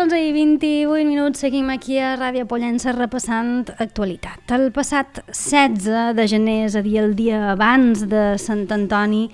11:28, seguim aquí a Ràdio Pollença repassant actualitat. El passat 16 de gener, és a dir, el dia abans de Sant Antoni,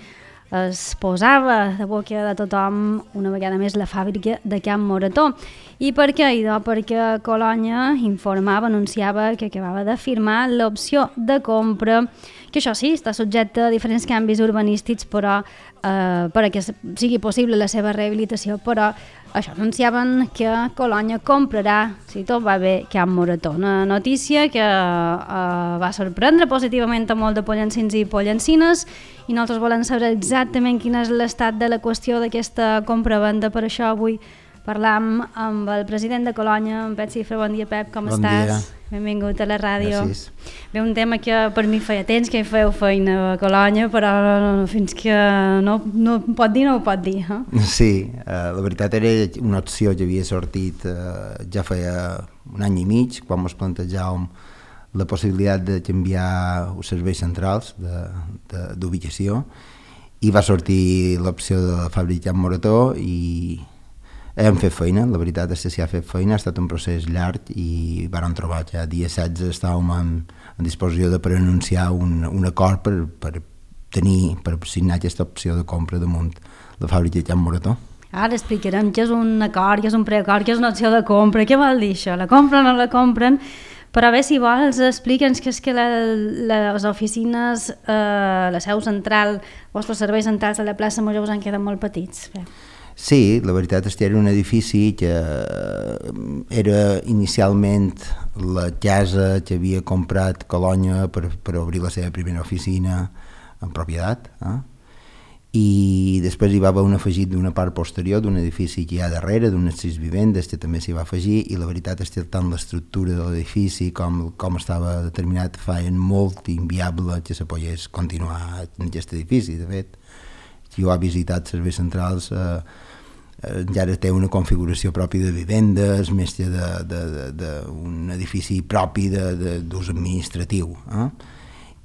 es posava de boca de tothom una vegada més la fàbrica de Can Morató. I per què? Perquè Colònia informava, anunciava que acabava de firmar l'opció de compra, que això sí, està subjecte a diferents canvis urbanístics, però perquè sigui possible la seva rehabilitació, però això anunciaven que Colònia comprarà, si tot va bé, Can Morató. Una notícia que va sorprendre positivament a molt de pollencins i pollencines, i nosaltres volem saber exactament quin és l'estat de la qüestió d'aquesta compra-venda. Per això avui parlam amb el president de Colònia, en Pep Cifra. Bon dia, Pep, com estàs? Bon dia. Benvingut a la ràdio. Gràcies. Ve un tema que per mi feia temps que hi feu feina a Colònia, però fins que no ho pot dir, no ho pot dir. Sí, la veritat era una opció que havia sortit ja feia un any i mig, quan ens plantejàvem la possibilitat de canviar els serveis centrals d'ubicació, i va sortir l'opció de la fàbrica Can Morató i hem fet feina. La veritat és que s'hi ha fet feina, ha estat un procés llarg i vam trobar que dia 16 estàvem en disposició de anunciar un acord per signar aquesta opció de compra damunt la fàbrica Can Morató. Ara explicarem què és un acord, què és un preacord, què és una opció de compra, què vol dir això? La compren o no la compren? Però bé, si vols, explica'ns que és que les oficines, la seu central, els vostres serveis centrals de la plaça Major us han quedat molt petits. Bé. Sí, la veritat és que era un edifici que era inicialment la casa que havia comprat Colònia per obrir la seva primera oficina en propietat, i després hi va haver un afegit d'una part posterior d'un edifici que hi ha darrere, d'unes 6 vivendes, que també s'hi va afegir, i la veritat és que tant l'estructura de l'edifici com estava determinat feien molt inviable que se pogués continuar en aquest edifici. De fet, qui ho ha visitat serveis centrals ja té una configuració pròpia de vivendes, més que d'un edifici propi d'ús administratiu.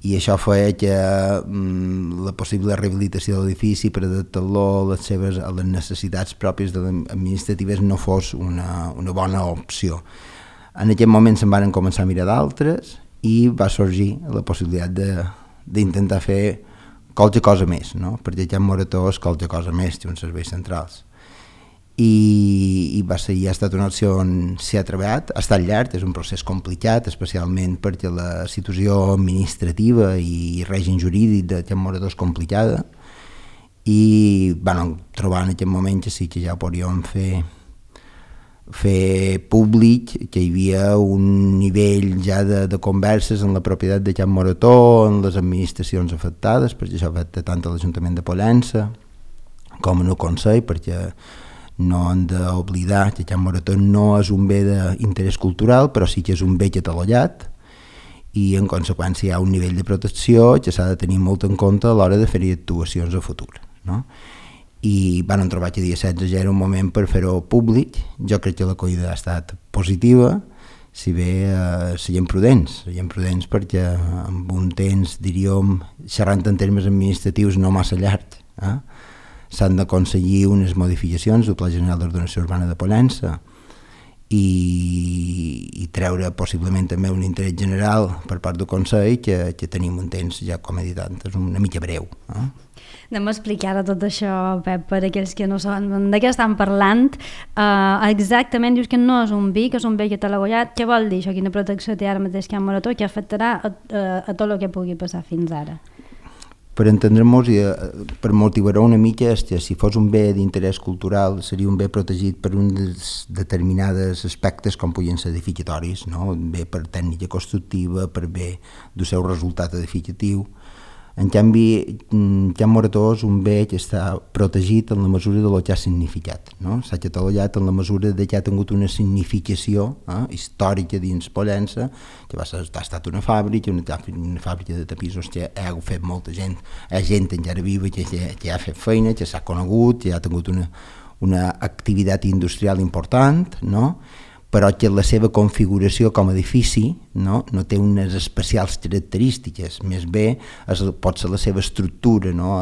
I això feia que la possible rehabilitació de l'edifici per adaptar-lo a les necessitats pròpies administratives no fos una bona opció. En aquest moment se'n van començar a mirar d'altres i va sorgir la possibilitat d'intentar fer qualque cosa més, no? Perquè Can Morató és qualque cosa més que uns serveis centrals. I ha estat una opció on s'hi ha treballat, ha estat llarg, és un procés complicat, especialment perquè la situació administrativa i règim jurídic de Can Morató és complicada, i van trobar en aquest moment que sí que ja podíem fer públic que hi havia un nivell ja de converses en la propietat de Can Morató, en les administracions afectades, perquè això afecta tant a l'Ajuntament de Pollença com en el Consell, perquè no hem d'oblidar que Can Morató no és un bé d'interès cultural, però sí que és un bé catalogat, i en conseqüència hi ha un nivell de protecció que s'ha de tenir molt en compte a l'hora de fer actuacions a futur, no? I van trobar que dia 16 ja era un moment per fer-ho públic. Jo crec que l'acollida ha estat positiva, si bé siguem prudents perquè en un temps, diríem, xerrant en termes administratius no massa llarg, s'han d'aconseguir unes modificacions del Pla General d'Ordenació Urbana de Pollença i treure possiblement també un interès general per part del Consell que tenim un temps, ja com he dit antes, una mica breu. Anem a explicar tot això, Pep, per aquells que no saben de què estan parlant. Exactament, dius que no és un vi, que és un bé catalogat. Què vol dir això? Quina protecció té ara mateix Can Morató, que afectarà a tot el que pugui passar fins ara? Per entendre-nos i per motivar-ho una mica, és que si fos un bé d'interès cultural seria un bé protegit per uns determinats aspectes com podien ser edificatoris, no? Bé per tècnica constructiva, per bé del seu resultat edificatiu. En canvi, Can Morató és un bé que està protegit en la mesura del que ha significat, no? S'ha catalogat en la mesura que ha tingut una significació històrica dins Pollença, que ha estat una fàbrica de tapissos que ha fet molta gent, hi ha gent encara viva que ha fet feina, que s'ha conegut, que ha tingut una activitat industrial important, no? però que la seva configuració com a edifici no té unes especials característiques, més bé pot ser la seva estructura, no?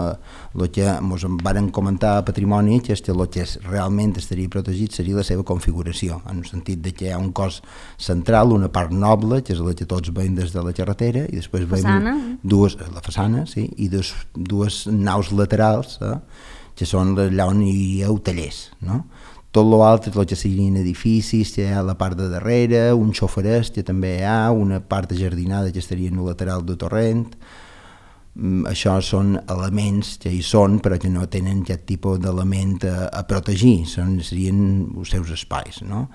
El que ens varen comentar a Patrimoni que és que el que realment estaria protegit seria la seva configuració, en el sentit de que hi ha un cos central, una part noble, que és la que tots veiem des de la carretera, i després veiem la façana, sí, i dues naus laterals, que són allà on hi ha tallers, no? Tot l'altre, tot que siguin edificis, que hi ha la part de darrere, un xoferès que també hi ha, una part jardinada que estaria en el lateral de torrent. Això són elements que hi són, però que no tenen aquest tipus d'element a protegir, serien els seus espais, no?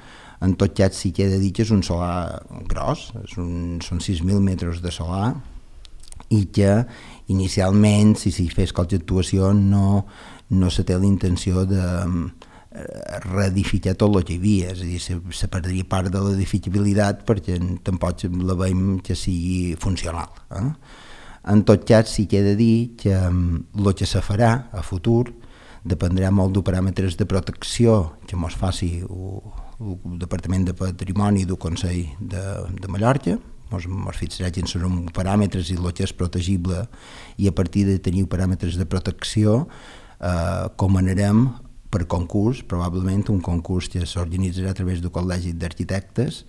En tot cas, sí que he de dir que és un solar gros, són 6.000 metres de solar, i que inicialment, si s'hi fes qualsevol actuació, no se té la intenció de reedificar tot el que hi havia, és a dir, se perdria part de l'edificabilitat perquè tampoc la veiem que sigui funcional. En tot cas, sí que he de dir que el que se farà a futur dependrà molt dels paràmetres de protecció que ens faci el Departament de Patrimoni del Consell de Mallorca. Ens fixarà quins són els paràmetres i el que és protegible, i a partir de tenir paràmetres de protecció comanarem per concurs, probablement un concurs que s'organitzarà a través del Col·legi d'Arquitectes,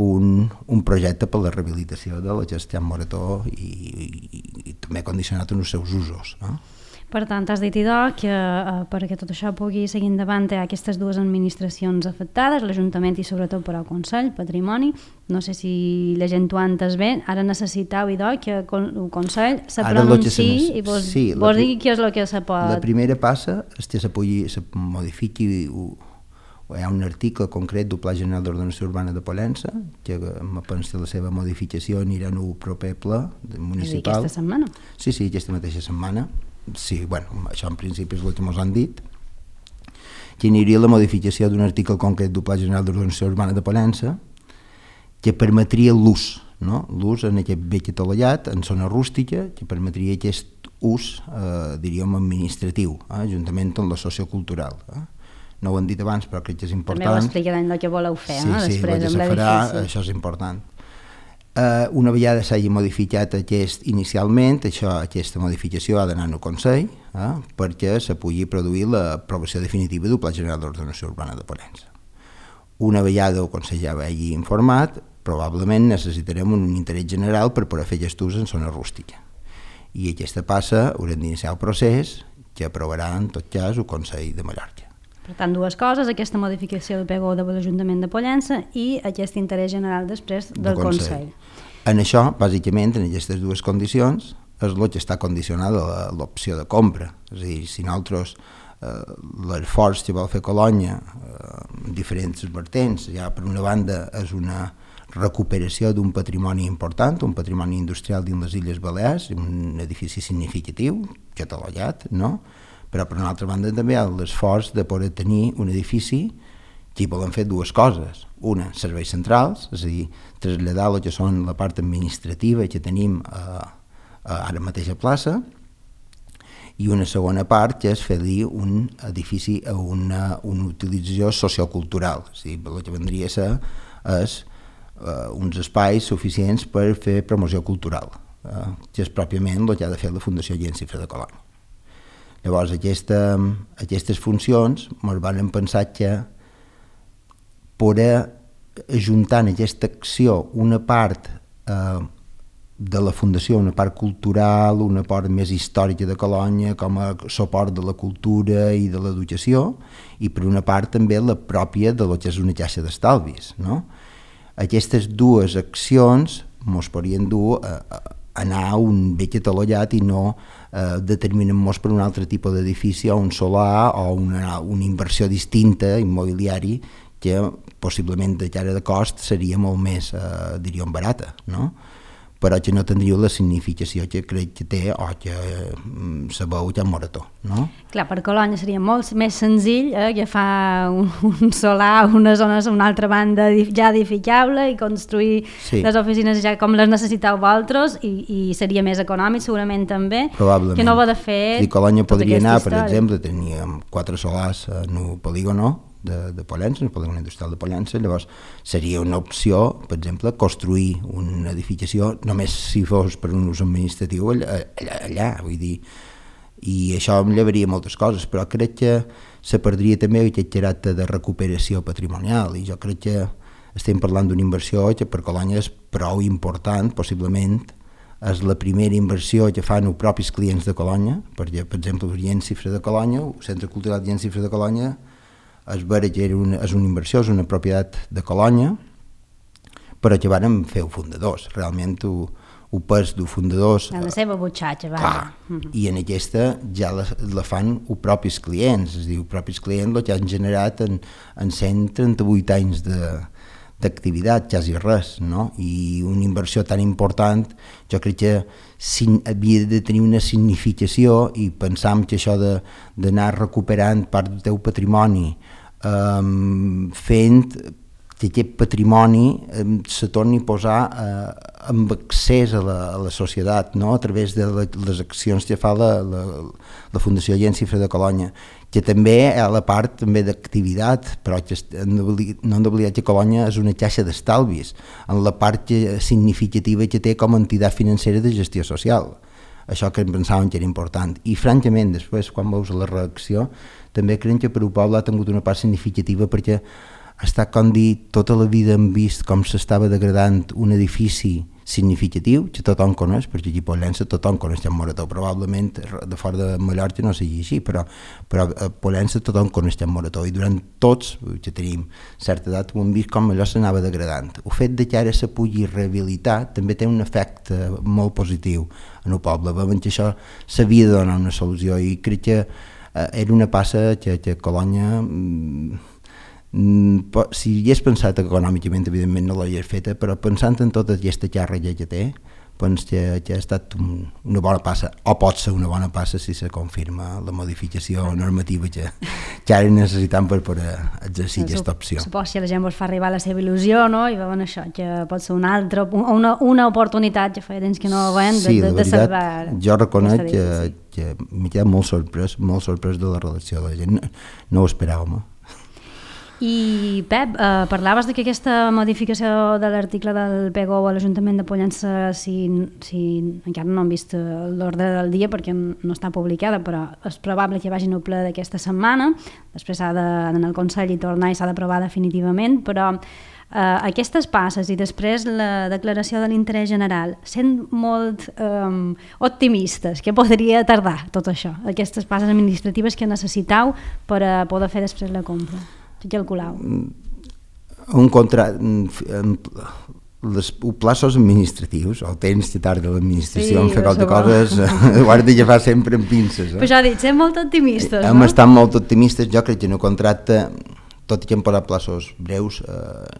un projecte per la rehabilitació de la gestió en morató i també condicionat en els seus usos, no? Per tant, has dit, idò, que perquè tot això pugui seguir endavant hi ha aquestes dues administracions afectades, l'Ajuntament i sobretot per al Consell, Patrimoni. No sé si la gent ho ha entès bé. Ara necessiteu, idò, que el Consell se pronunciï i vos digui què és el que se pot... La primera passa és que se modifiqui, hi ha un article concret del Pla General d'Ordenació Urbana de Pollença, que me penso que la seva modificació anirà en el proper ple municipal. És a dir, aquesta setmana? Sí, aquesta mateixa setmana. Sí, bueno, això en principi és el que ens han dit, que aniria la modificació d'un article concret del Pla General d'Ordenació Urbana de Pollença que permetria l'ús, no? L'ús en aquest vell catalellat, en zona rústica, que permetria aquest ús, diríem, administratiu, juntament amb la sociocultural. No ho han dit abans, però crec que és important. També ho explicaran el que voleu fer, sí, no? Després, el que se farà, això és important. Una vegada s'hagi modificat inicialment, aquesta modificació ha d'anar al Consell perquè se pugui produir l'aprovació definitiva del Pla General d'Ordenació Urbana de Pollença. Una vegada el Consell ja hagi informat, probablement necessitarem un interès general per poder fer aquest ús en zona rústica. I aquesta passa, haurem d'iniciar el procés que aprovarà en tot cas el Consell de Mallorca. Per tant, dues coses, aquesta modificació del PGO de l'Ajuntament de Pollença i aquest interès general després del Consell. En això, bàsicament, en aquestes dues condicions, és el que està condicionat a l'opció de compra. És a dir, si nosaltres l'esforç que vol fer Colònia en diferents vertents, ja per una banda és una recuperació d'un patrimoni important, un patrimoni industrial dins les Illes Balears, un edifici significatiu, catalellat, no? Però per una altra banda també hi ha l'esforç de poder tenir un edifici que hi volen fer dues coses. Una, serveis centrals, és a dir, traslladar el que són la part administrativa que tenim ara mateix a plaça, i una segona part que és fer-li un edifici a una utilització sociocultural, és a dir, el que vendria a ser uns espais suficients per fer promoció cultural, que és pròpiament el que ha de fer la Fundació Guillem Cifra de Colònia. Llavors, aquestes funcions ens van pensar que poder ajuntar en aquesta acció una part de la Fundació, una part cultural, una part més històrica de Colònia com a suport de la cultura i de l'educació, i per una part també la pròpia de lo que és una caixa d'estalvis, no? Aquestes dues accions ens podrien dur a anar a un bé catalellat i no determinem-nos per un altre tipus d'edifici o un solar o una inversió distinta, immobiliari, que possiblement de cara de cost seria molt més, diríem, barata, no? Però que no tindria la significació que crec que té o que se veu ja en morató, no? Clar, per Colònia seria molt més senzill agafar un solar, una zona a una altra banda ja edificable i construir les oficines ja com les necessiteu vosaltres i seria més econòmic segurament també, que no va de fer... Si Colònia podria anar, per exemple, teníem 4 solars en el polígono, de Pollença, el polígon industrial de Pollença. Llavors seria una opció, per exemple, construir una edificació només si fos per un ús administratiu allà, vull dir, i això em llevaria moltes coses, però crec que se perdria també aquest caràcter de recuperació patrimonial, i jo crec que estem parlant d'una inversió que per Colònia és prou important, possiblement és la primera inversió que fan els propis clients de Colònia, perquè, per exemple, el Gent Cifra de Colònia, el Centre Cultural Gent Cifra de Colònia, és vera que és una inversió, és una propietat de Colònia, però que van fer els fundadors. Realment, el pes dels fundadors... La seva butxatxa, va. Clar, i en aquesta ja la fan els propis clients, és a dir, els propis clients el que han generat en 138 anys d'activitat, quasi res, no? I una inversió tan important, jo crec que havia de tenir una significació, i pensam que això d'anar recuperant part del teu patrimoni, fent que aquest patrimoni se torni a posar amb accés a la societat, no? A través de les accions que fa la Fundació Gent Cifra de Colònia, que també hi ha la part també d'activitat, però que no hem d'oblidar que Colònia és una caixa d'estalvis, en la part significativa que té com a entitat financera de gestió social. Això que pensàvem que era important. I francament, després, quan veus la reacció, també creiem que per al poble ha tingut una part significativa, perquè està, com dir, tota la vida hem vist com s'estava degradant un edifici significatiu, que tothom coneix, perquè aquí a Pollença tothom coneix Can Morató, probablement de fora de Mallorca no sigui així, però a Pollença tothom coneix Can Morató, i durant tots, que tenim certa edat, hem vist com allò s'anava degradant. El fet que ara se pugui rehabilitar també té un efecte molt positiu en el poble. Veiem que això s'havia de donar una solució, i crec que era una passa que Colònia... si hi hagués pensat econòmicament, evidentment no l'hagués feta, però pensant en tota aquesta càrrega que té, doncs que ha estat una bona passa, o pot ser una bona passa si se confirma la modificació normativa que ara necessitem per exercir aquesta opció. Supos si la gent vos fa arribar la seva il·lusió, no? I veuen això, que pot ser una oportunitat, ja feia temps que no ho veiem, de salvar. Jo reconec que m'he quedat molt sorprès de la relació de la gent, no ho esperàvem. I Pep, parlaves que aquesta modificació de l'article del PGO a l'Ajuntament de Pollença, si encara no han vist l'ordre del dia perquè no està publicada, però és probable que vagin al ple d'aquesta setmana, després s'ha d'anar al Consell i tornar i s'ha d'aprovar definitivament, però aquestes passes i després la declaració de l'interès general, sent molt optimistes, que podria tardar tot això, aquestes passes administratives que necessitau per poder fer després la compra? Calculau. Un contracte, els plaços administratius, el temps que tarda l'administració en fer qualque coses, ho has de llevar sempre amb pinces. Però això ha dit, ser molt optimistes, no? Hem estat molt optimistes, jo crec que en el contracte, tot i que hem posat plaços breus,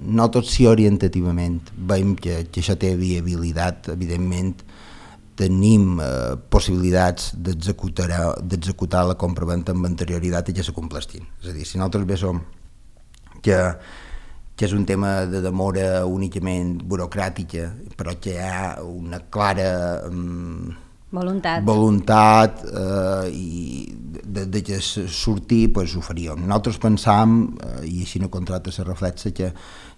no tot si orientativament, veiem que això té viabilitat, evidentment, tenim possibilitats d'executar la compra-venta amb anterioritat i que se compleixin. És a dir, si nosaltres bé som que és un tema de demora únicament burocràtica, però que hi ha una clara voluntat i de que sortir, doncs ho faríem. Nosaltres pensam, i així en el contracte se reflexa,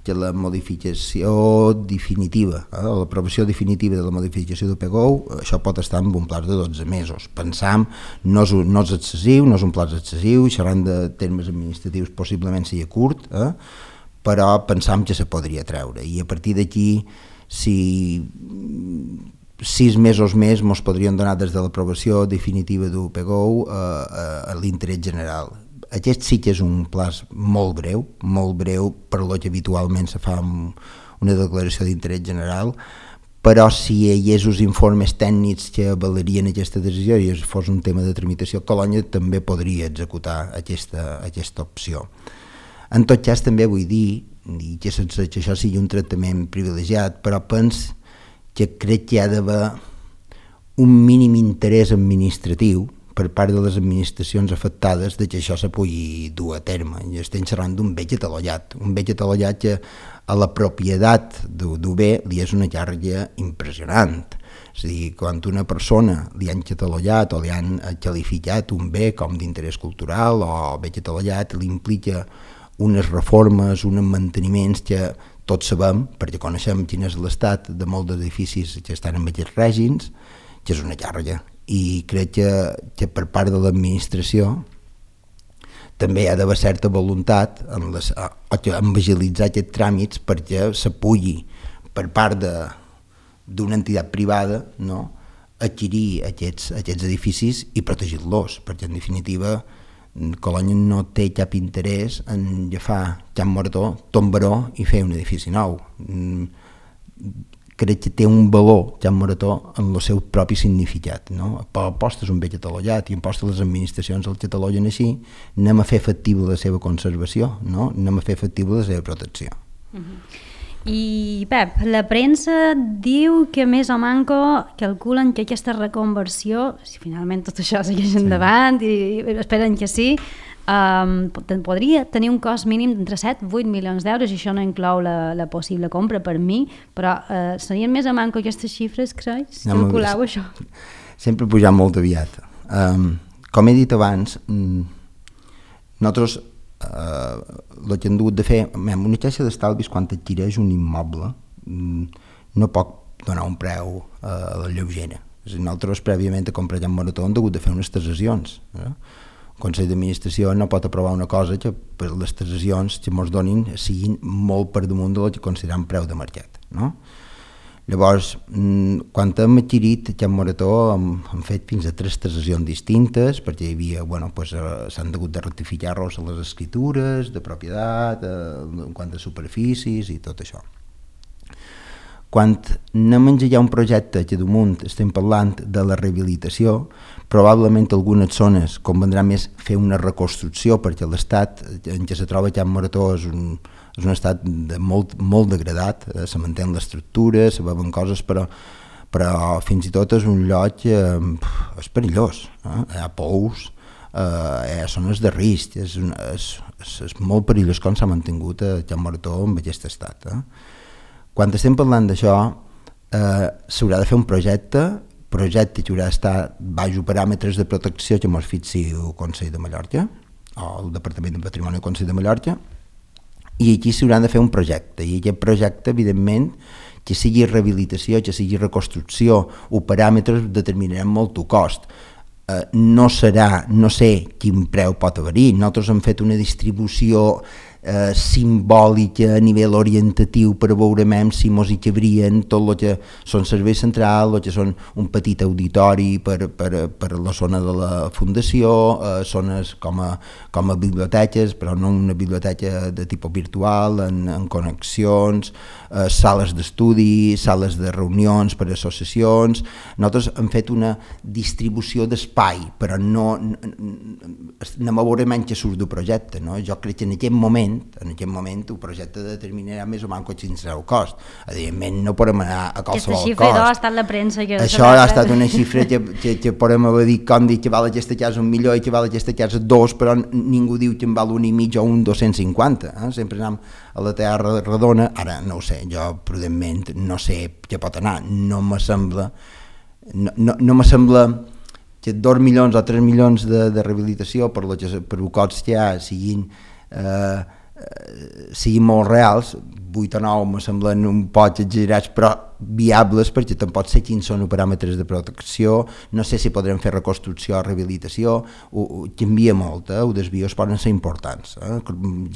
que la modificació definitiva, l'aprovació definitiva de la modificació del PGO, això pot estar en un plaç de 12 mesos. Pensam, no és excessiu, no és un plaç excessiu, xerrant de termes administratius possiblement sigui curt, però pensam que se podria treure. I a partir d'aquí, si 6 mesos més ens podrien donar des de l'aprovació definitiva del PGO a l'interès general. Aquest sí que és un plaç molt breu per lo que habitualment se fa una declaració d'interès general, però si hi hagués els informes tècnics que avalarien aquesta decisió i fos un tema de tramitació, Colònia també podria executar aquesta opció. En tot cas també vull dir, i que sense que això sigui un tractament privilegiat, però penso que crec que hi ha d'haver un mínim interès administratiu per part de les administracions afectades de que això se pugui dur a terme. I estem xerrant d'un bé cataloglat, que a la propietat d'un bé li és una càrrega impressionant. És a dir, quan una persona li han cataloglat o li han qualificat un bé com d'interès cultural o bé cataloglat, li implica unes reformes, uns manteniments que tots sabem, perquè coneixem quin és l'estat de molts edificis que estan en aquests règims, que és una càrrega. I crec que per part de l'administració també hi ha d'haver certa voluntat en agilitzar aquests tràmits perquè s'apugui per part d'una entitat privada, no?, adquirir aquests edificis i protegir-los, perquè en definitiva Colònia no té cap interès en agafar Can Morató, tombar-ho i fer un edifici nou. Crec que té un valor Can Morató en el seu propi significat, no? Apostes un bé catalogat i apostes les administracions el cataloguen així, anem a fer factible la seva conservació, no? Anem a fer factible la seva protecció. I Pep, la premsa diu que més o manco calculen que aquesta reconversió, si finalment tot això segueix endavant i esperen que sí, podria tenir un cost mínim d'entre 7 i 8 milions d'euros, i això no inclou la possible compra per mi, però serien més o manco aquestes xifres, creus? Calculeu això? Sempre pujant molt aviat. Com he dit abans, nosaltres el que hem hagut de fer, una caixa d'estalvis quan adquireix un immoble no pot donar un preu a la lleugera. Nosaltres prèviament a comprar Can Morató hem hagut de fer unes tasacions. El Consell d'Administració no pot aprovar una cosa que per les tasacions que ens donin siguin molt per damunt del que considerem preu de mercat, no? Llavors, quan hem adquirit Can Morató hem fet fins a 3 tasacions distintes, perquè hi havia, s'han hagut de rectificar-los a les escritures, de propietat, en quant a superfícies i tot això. Quan anem a engegar un projecte que damunt estem parlant de la rehabilitació, probablement algunes zones convendrà més fer una reconstrucció, perquè l'estat en què se troba Can Morató és un estat molt degradat, se manté l'estructura, se veuen coses, però fins i tot és un lloc és perillós, hi ha pous, hi ha zones de risc, és molt perillós com s'ha mantingut a Can Morató en aquest estat. Quan estem parlant d'això, s'haurà de fer un projecte que haurà d'estar baix paràmetres de protecció que ens fixi el Consell de Mallorca, o el Departament de Patrimoni del Consell de Mallorca, i aquí s'haurà de fer un projecte, i aquest projecte, evidentment, que sigui rehabilitació, que sigui reconstrucció, o paràmetres determinaran molt el cost. No sé quin preu pot haver-hi. Nosaltres hem fet una distribució simbòlica a nivell orientatiu per veure si mos hi cabrien tot el que són serveis centrals, el que són un petit auditori per la zona de la fundació, zones com a biblioteques, però no una biblioteca de tipus virtual, en connexions, sales d'estudi, sales de reunions per associacions. Nosaltres hem fet una distribució d'espai, però no anem a veure menys que surt del projecte, no? Jo crec que en aquest moment el projecte determinarà més o menys quin serà el cost. Evidentment no podem anar a qualsevol cost. Aquesta xifra ha estat la premsa. Això ha estat una xifra que podem haver dit, com dic, que val aquesta casa $1 milió i que val aquesta casa 2, però ningú diu que en val 1,5 o 250. Sempre anem a la terra redona. Ara no ho sé, jo prudentment no sé què pot anar. No me sembla que 2 milions o 3 milions de rehabilitació per el cost que hi ha siguin molt reals. 8 o 9 me semblen un poc exagerats, però viables, perquè tampoc sé quins són els paràmetres de protecció, no sé si podrem fer reconstrucció o rehabilitació, canvia molt, els desvios poden ser importants.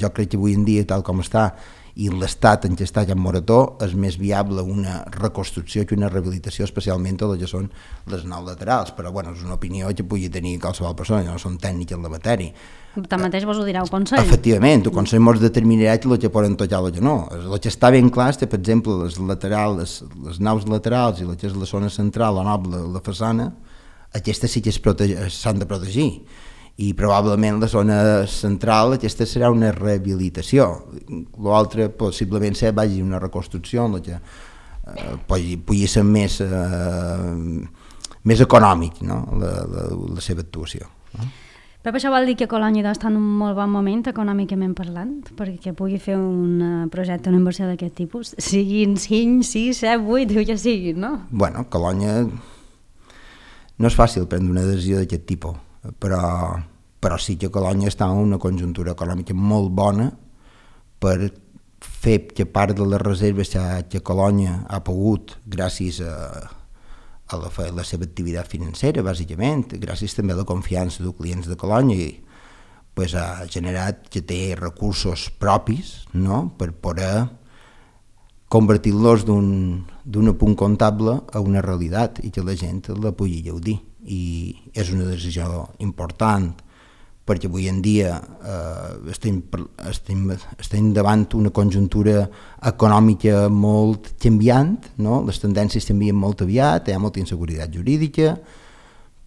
Jo crec que avui en dia, tal com està, i l'estat en què està Can Morató, és més viable una reconstrucció que una rehabilitació, especialment tot el que són les naus laterals, però és una opinió que pugui tenir qualsevol persona, no som tècnics en la matèria. Tanmateix vos ho dirà el Consell. Efectivament, el Consell ens determinarà el que poden tocar i el que no. El que està ben clar és que, per exemple, les naus laterals i el que és la zona central o noble, la façana, aquestes sí que s'han de protegir. I probablement la zona central aquesta serà una rehabilitació. L'altre possiblement vagi una reconstrucció en la que pugui ser més econòmic, no? la seva actuació. Però això vol dir que Colònia està en un molt bon moment econòmicament parlant, perquè pugui fer un projecte, una inversió d'aquest tipus, siguin 5, 6, 7, 8, o que siguin, no? Bueno, Colònia no és fàcil prendre una decisió d'aquest tipus, però sí que Colònia està en una conjuntura econòmica molt bona, per fer que part de les reserves que Colònia ha pogut gràcies a la seva activitat financera, bàsicament, gràcies també a la confiança dels clients de Colònia, pues, ha generat que té recursos propis, no?, per poder convertir-los d'un apunt comptable a una realitat i que la gent la pugui gaudir. I és una decisió important perquè avui en dia estem davant una conjuntura econòmica molt canviant, no? Les tendències canvien molt aviat, hi ha molta inseguretat jurídica,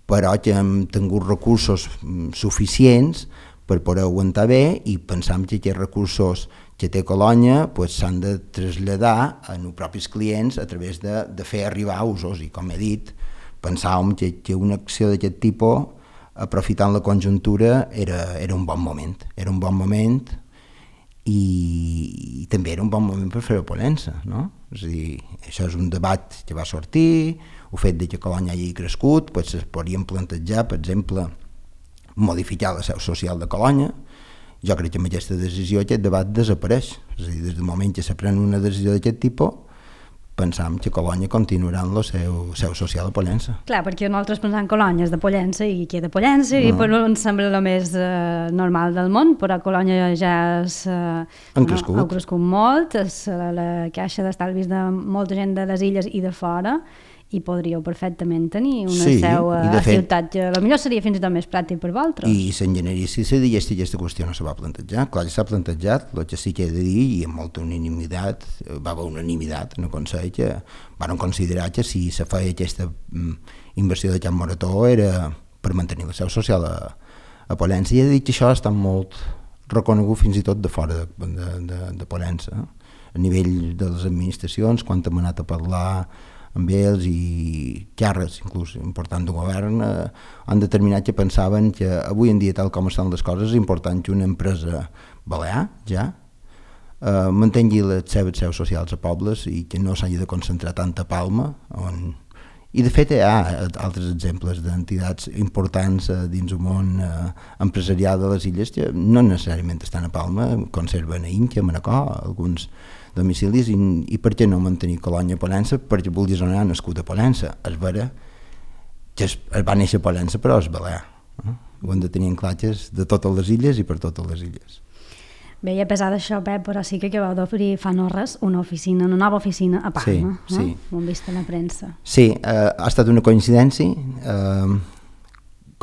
però que hem tingut recursos suficients per poder aguantar bé i pensam que aquests recursos que té Colònia s'han de traslladar als propis clients a través de fer arribar usos i, com he dit, pensàvem que una acció d'aquest tipus, aprofitant la conjuntura, era un bon moment. Era un bon moment i també era un bon moment per fer a Pollença, no? És a dir, això és un debat que va sortir, el fet que Colònia hagi crescut, es podrien plantejar, per exemple, modificar la seu social de Colònia. Jo crec que amb aquesta decisió aquest debat desapareix. És a dir, des del moment que se pren una decisió d'aquest tipus, pensam que Colònia continuarà en la seu social a Pollença. Clar, perquè nosaltres pensam Colònia és de Pollença i queda Pollença i per ens sembla el més normal del món, però Colònia ja ha crescut molt, és la caixa d'estalvis de molta gent de les illes i de fora, i podríeu perfectament tenir una seu a ciutat que potser seria fins i tot més pràctic per vosaltres. I se'n generaria si aquesta qüestió no se va plantejar. Clar, ja s'ha plantejat, el que sí que he de dir, i amb molta unanimitat, va haver unanimitat en el Consell, que van considerar que si se feia aquesta inversió de Can Morató era per mantenir la seu social a Pollença. I he dit que això està molt reconegut fins i tot de fora de Pollença. A nivell de les administracions, quan hem anat a parlar amb ells i càrrecs, inclús importants del govern, han determinat que pensaven que avui en dia, tal com estan les coses, és important que una empresa balear, ja, mantingui les seves seus socials a pobles i que no s'hagi de concentrar tant a Palma, i de fet hi ha altres exemples d'entitats importants dins el món empresarial de les illes que no necessàriament estan a Palma, conserven a Inca, a Manacor, alguns domicilis, i per què no mantenir Colònia a Pollença? Perquè vulguis o no ha nascut a Pollença. És vera que es va néixer a Pollença, però és balear. Ho hem de tenir en clar que és de totes les illes i per totes les illes. Bé, i a pesar d'això, Pep, però sí que acabeu d'oferir fa no res una nova oficina a Palma. Sí. Ho hem vist a la premsa. Sí, ha estat una coincidència.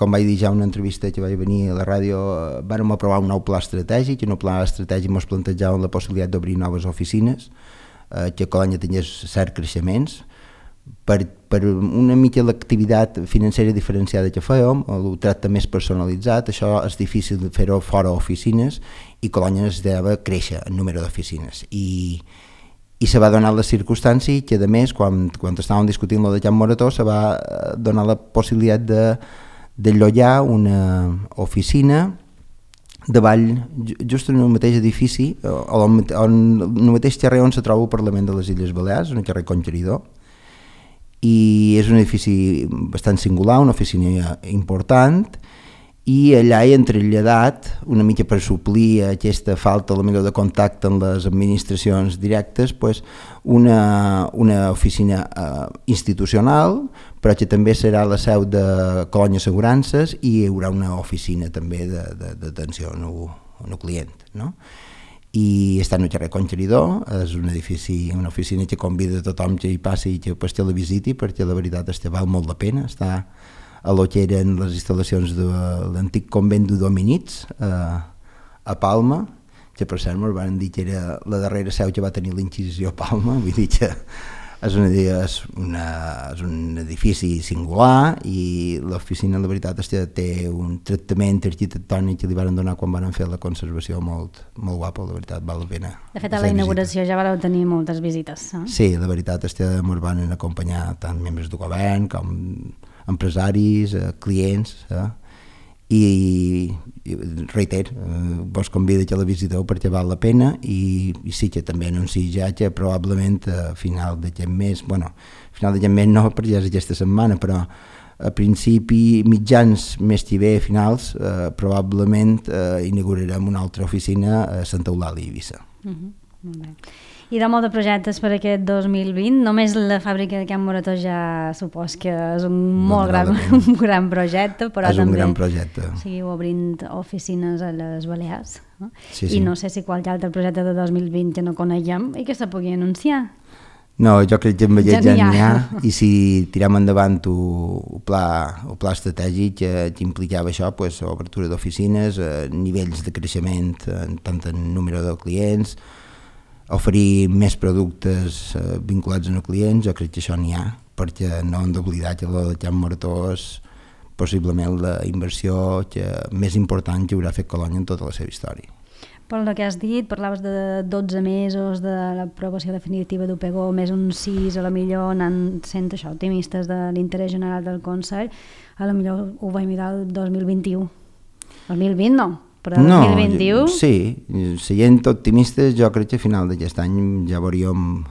Com vaig dir ja en una entrevista que vaig venir a la ràdio, vàrem aprovar un nou pla estratègic, i en el pla estratègic ens plantejàvem la possibilitat d'obrir noves oficines, que Colònia tingués certs creixements, per una mica l'activitat financera diferenciada que fèiem, el tracte més personalitzat. Això és difícil de fer-ho fora oficines, i Colònia necessitava créixer en número d'oficines. I se va donar la circumstància que, a més, quan estàvem discutint lo de Can Morató, se va donar la possibilitat d'allotjar una oficina davall, just en el mateix edifici, on el mateix carrer on se troba el Parlament de les Illes Balears, un carrer Conqueridor, i és un edifici bastant singular, una oficina important, i allà he entrelladat, una mica per suplir aquesta falta de contacte amb les administracions directes, una oficina institucional, però que també serà la seu de Colònia Assegurances, i hi haurà una oficina també d'atenció al client, no? I està en el carrer Conqueridor, és un edifici, una oficina que convida a tothom que hi passi i que te la visiti, perquè la veritat és que val molt la pena. Està a lo que eren les instal·lacions de l'antic convent de Dominits a Palma, que per cert ens van dir que era la darrera seu que va tenir la Inquisició a Palma. Vull dir que és un edifici singular, i l'oficina, la veritat és que té un tractament arquitectònic que li van donar quan van fer la conservació molt guapa, la veritat val la pena. De fet, a la inauguració ja vareu tenir moltes visites. Sí, la veritat és que ens van acompanyar tant membres del govern com empresaris, clients, i reiter, vos convido que la visiteu perquè val la pena, i sí que també anuncio ja que probablement a final d'aquest mes, final d'aquest mes no, perquè ja és aquesta setmana, però a principi, mitjans mes que ve, finals, probablement inaugurarem una altra oficina a Santa Eulàlia, Eivissa. Molt bé. I de molt de projectes per aquest 2020, només la fàbrica de Can Morató ja supos que és un gran projecte, però és també un gran projecte. Seguiu obrint oficines a les Balears, no? Sí. I no sé si qualque altre projecte de 2020 que no coneguem i que se pugui anunciar. No, jo crec que amb aquest ja n'hi ha, i si tirem endavant el pla estratègic que implicava això, pues, obertura d'oficines, nivells de creixement tant en número de clients, oferir més productes vinculats als clients, jo crec que això n'hi ha, perquè no hem d'oblidar que la de Can Morató és possiblement la inversió més important que haurà fet Colònia en tota la seva història. Per el que has dit, parlaves de 12 mesos de l'aprovació definitiva d'UPEGO, més uns 6, a la millor anant sent això, optimistes de l'interès general del Consell, a la millor ho veiem del 2021. 2020 no, però 2021... Sí, sent optimistes, jo crec que a final d'aquest any ja veuríem,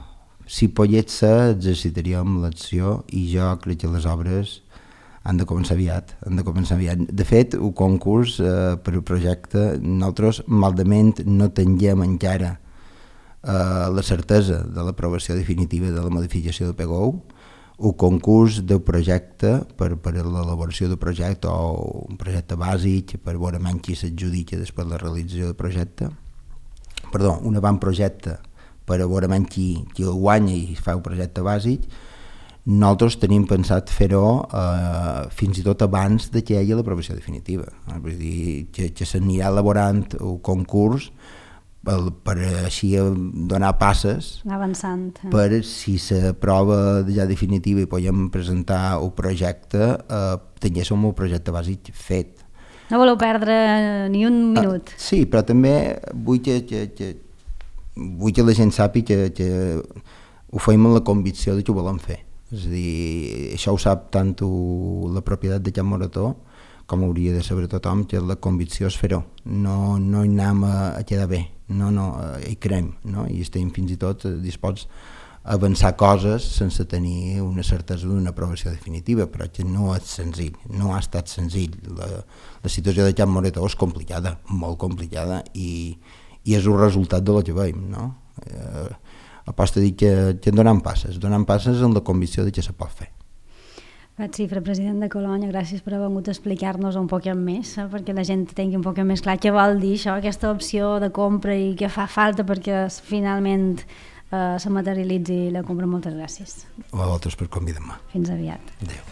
si pogués ser, exercitaríem l'acció, i jo crec que les obres han de començar aviat. De fet, el concurs per al projecte, nosaltres maldament no tinguem encara la certesa de l'aprovació definitiva de la modificació de PGO. El concurs del projecte per l'elaboració del projecte o un projecte bàsic per veure qui s'adjudica després de la realització del projecte, un avantprojecte per veure qui el guanya i fa el projecte bàsic. Nosaltres tenim pensat fer-ho fins i tot abans de que hi hagi l'aprovació definitiva. Vull dir que s'anirà elaborant el concurs per així donar passes per si s'aprova ja definitiva i podem presentar el projecte, tinguéssim el projecte bàsic fet. No voleu perdre ni un minut. Sí, però també vull que la gent sàpiga que ho fem amb la convicció de que ho volem fer. És a dir, això ho sap tant la propietat de Can Morató com hauria de saber tothom, que la convicció és fer-ho, no hi anem a quedar bé, hi creiem, i estem fins i tot disposats a avançar coses sense tenir una certesa d'una aprovació definitiva, però que no és senzill, no ha estat senzill. La situació de Can Morató és complicada, molt complicada, i és el resultat de lo que veiem, no? Aposta a dir que donant passes amb la convicció de que se pot fer. Gat Cifra, president de Colònia, gràcies per haver vingut a explicar-nos un poc més, perquè la gent tingui un poc més clar què vol dir això, aquesta opció de compra i què fa falta perquè finalment se materialitzi la compra. Moltes gràcies. A vosaltres per convidar-me. Fins aviat. Adéu.